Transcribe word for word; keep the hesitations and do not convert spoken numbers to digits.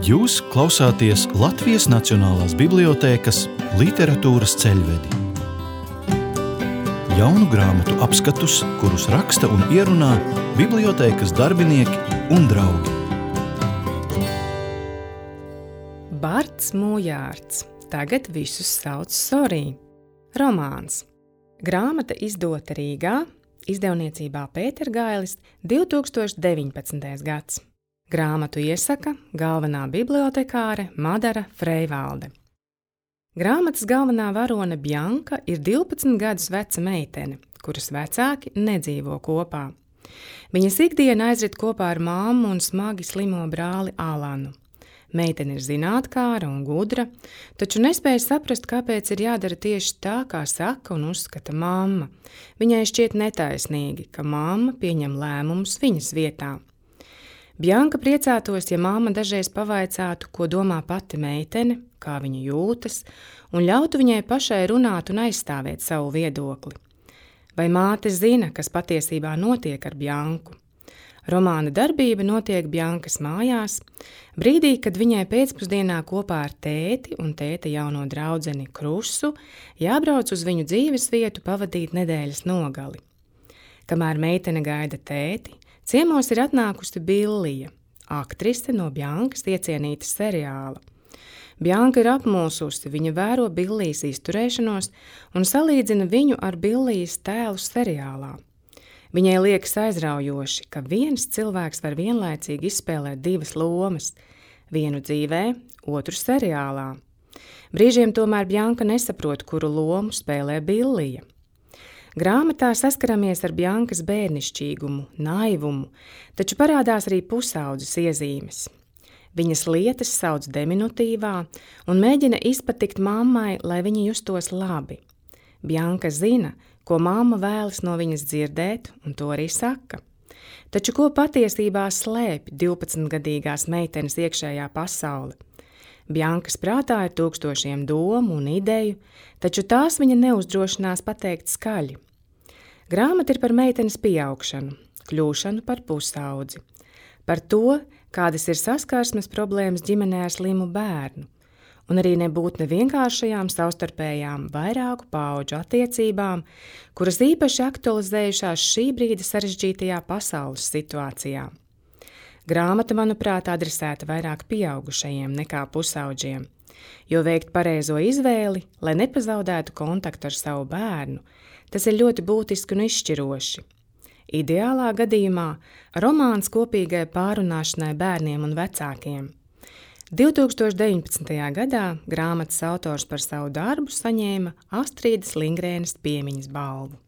Jūs klausāties Latvijas Nacionālās bibliotēkas Literatūras ceļvedi. Jaunu grāmatu apskatus, kurus raksta un ierunā bibliotēkas darbinieki un draugi. Barts Mūjārds. Tagad visus sauc Sorī. Romāns. Grāmata izdota Rīgā, izdevniecībā Pētergailis, divi tūkstoši deviņpadsmitais gads. Grāmatu iesaka galvenā bibliotekāre Madara Freivalde. Grāmatas galvenā varone Bjanka ir divpadsmit gadus veca meitene, kuras vecāki nedzīvo kopā. Viņas ikdiena aizrit kopā ar mammu un smagi slimo brāli Alanu. Meitene ir zinātkāra un gudra, taču nespēja saprast, kāpēc ir jādara tieši tā, kā saka un uzskata mamma. Viņai šķiet netaisnīgi, ka mamma pieņem lēmumus viņas vietā. Bjanka priecātos, ja mamma dažreiz pavaicātu, ko domā pati meitene, kā viņa jūtas, un ļautu viņai pašai runāt un aizstāvēt savu viedokli. Vai māte zina, kas patiesībā notiek ar Bjanku? Romāna darbība notiek Bjankas mājās, brīdī, kad viņai pēcpusdienā kopā ar tēti un tēta jauno draudzeni Krusu jābrauc uz viņu dzīves vietu pavadīt nedēļas nogali. Kamēr meitene gaida tēti, ciemos ir atnākusi Billija, aktrise no Bjankas iecienītas seriāla. Bjanka ir apmulsusi, viņa vēro Billijas izturēšanos un salīdzina viņu ar Billijas tēlu seriālā. Viņai liekas aizraujoši, ka viens cilvēks var vienlaicīgi izspēlēt divas lomas, vienu dzīvē, otru seriālā. Brīžiem tomēr Bjanka nesaprot, kuru lomu spēlē Billija. Grāmatā saskaramies ar Bjankas bērnišķīgumu, naivumu, taču parādās arī pusaudzes iezīmes. Viņas lietas sauc diminutīvā un mēģina izpatikt mammai, lai viņa justos labi. Bjanka zina, ko mamma vēlas no viņas dzirdēt, un to arī saka. Taču ko patiesībā slēpj divpadsmitgadīgās meitenes iekšējā pasaule? Bjankas prātā ir tūkstošiem domu un ideju, taču tās viņa neuzdrošinās pateikt skaļi. Grāmata ir par meitenes pieaugšanu, kļūšanu par pusaudzi, par to, kādas ir saskarsmes problēmas ģimenē ar slimu bērnu, un arī nebūt nevienkāršajām savstarpējām vairāku paudžu attiecībām, kuras īpaši aktualizējušās šī brīda sarežģītajā pasaules situācijā. Grāmata, manuprāt, adresēta vairāk pieaugušajiem nekā pusaudžiem, jo veikt pareizo izvēli, lai nepazaudētu kontaktu ar savu bērnu, tas ir ļoti būtiski un izšķiroši. Ideālā gadījumā romāns kopīgai pārunāšanai bērniem un vecākiem. divi tūkstoši deviņpadsmitajā gadā grāmatas autors par savu darbu saņēma Astrīdas Lingrēnas piemiņas balvu.